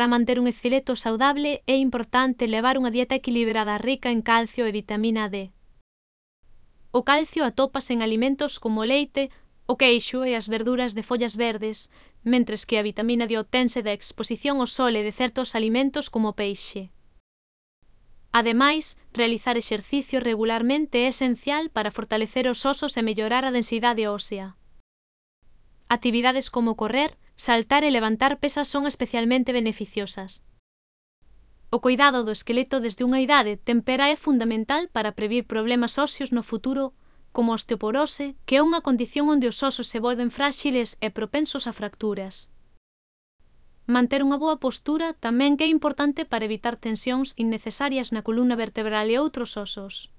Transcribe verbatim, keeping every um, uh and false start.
Para manter un esqueleto saudable é importante levar unha dieta equilibrada rica en calcio e vitamina D. O calcio atópase en alimentos como o leite, o queixo e as verduras de follas verdes, mentres que a vitamina D obtense da exposición ao sol e de certos alimentos como o peixe. Ademais, realizar exercicio regularmente é esencial para fortalecer os osos e mellorar a densidade ósea. Actividades como correr, saltar e levantar pesas son especialmente beneficiosas. O cuidado do esqueleto desde unha idade temprá é fundamental para previr problemas óseos no futuro, como a osteoporose, que é unha condición onde os osos se volven fráxiles e propensos a fracturas. Manter unha boa postura tamén é importante para evitar tensións innecesarias na columna vertebral e outros osos.